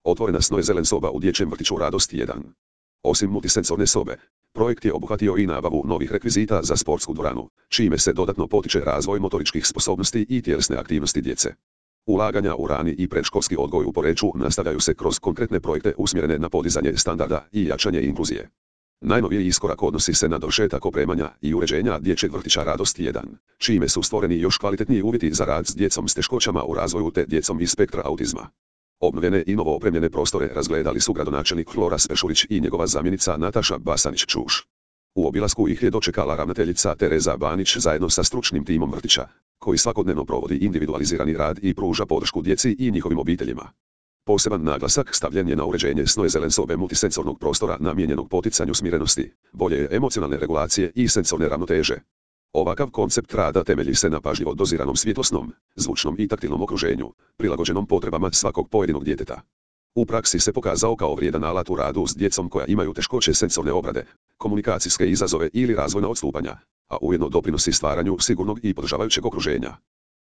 Otvorena Snoezelen soba u dječjem vrtiću Radost 1. Osim multisensorne sobe, projekt je obuhvatio i nabavu novih rekvizita za sportsku dvoranu, čime se dodatno potiče razvoj motoričkih sposobnosti i tjelesne aktivnosti djece. Ulaganja u rani i predškolski odgoj u Poreču nastavljaju se kroz konkretne projekte usmjerene na podizanje standarda i jačanje inkluzije. Najnoviji iskorak odnosi se na dovršetak opremanja i uređenja dječjeg vrtića Radost 1, čime su stvoreni još kvalitetniji uvjeti za rad s djecom s teškoćama u razvoju te djecom iz spektra autizma. Obnovljene i novo opremljene prostore razgledali su gradonačelnik Flora Spešulić i njegova zamjenica Nataša Basanić-Čuš. U obilasku ih je dočekala ravnateljica Tereza Banić zajedno sa stručnim timom vrtića, koji svakodnevno provodi individualizirani rad i pruža podršku djeci i njihovim obiteljima. Poseban naglasak stavljen je na uređenje Snoezelen sobe multisensornog prostora namijenjenog poticanju smirenosti, bolje emocionalne regulacije i sensorne ravnoteže. Ovakav koncept rada temelji se na pažljivo doziranom svjetlosnom, zvučnom i taktilnom okruženju, prilagođenom potrebama svakog pojedinog djeteta. U praksi se pokazao kao vrijedan alat u radu s djecom koja imaju teškoće sensorne obrade, komunikacijske izazove ili razvojna odstupanja, a ujedno doprinosi stvaranju sigurnog i podržavajućeg okruženja.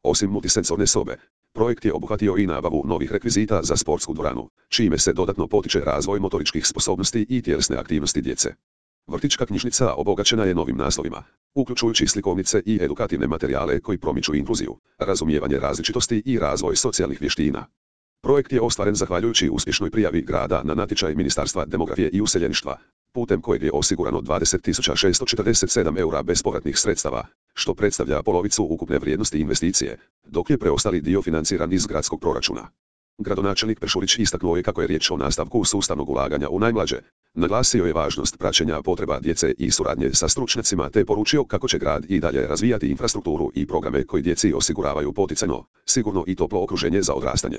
Osim multisensorne sobe, projekt je obuhvatio i nabavu novih rekvizita za sportsku dvoranu, čime se dodatno potiče razvoj motoričkih sposobnosti i tjelesne aktivnosti djece. Vrtićka knjižnica obogaćena je novim naslovima, uključujući slikovnice i edukativne materijale koji promiču inkluziju, razumijevanje različitosti i razvoj socijalnih vještina. Projekt je ostvaren zahvaljujući uspješnoj prijavi grada na natječaj Ministarstva demografije i useljeništva, putem kojeg je osigurano 20.647 eura bespovratnih sredstava, što predstavlja polovicu ukupne vrijednosti investicije, dok je preostali dio financiran iz gradskog proračuna. Gradonačelnik Pešulić istaknuo je kako je riječ o nastavku sustavnog ulaganja u najmlađe. Naglasio je važnost praćenja potreba djece i suradnje sa stručnjacima te poručio kako će grad i dalje razvijati infrastrukturu i programe koji djeci osiguravaju poticajno, sigurno i toplo okruženje za odrastanje.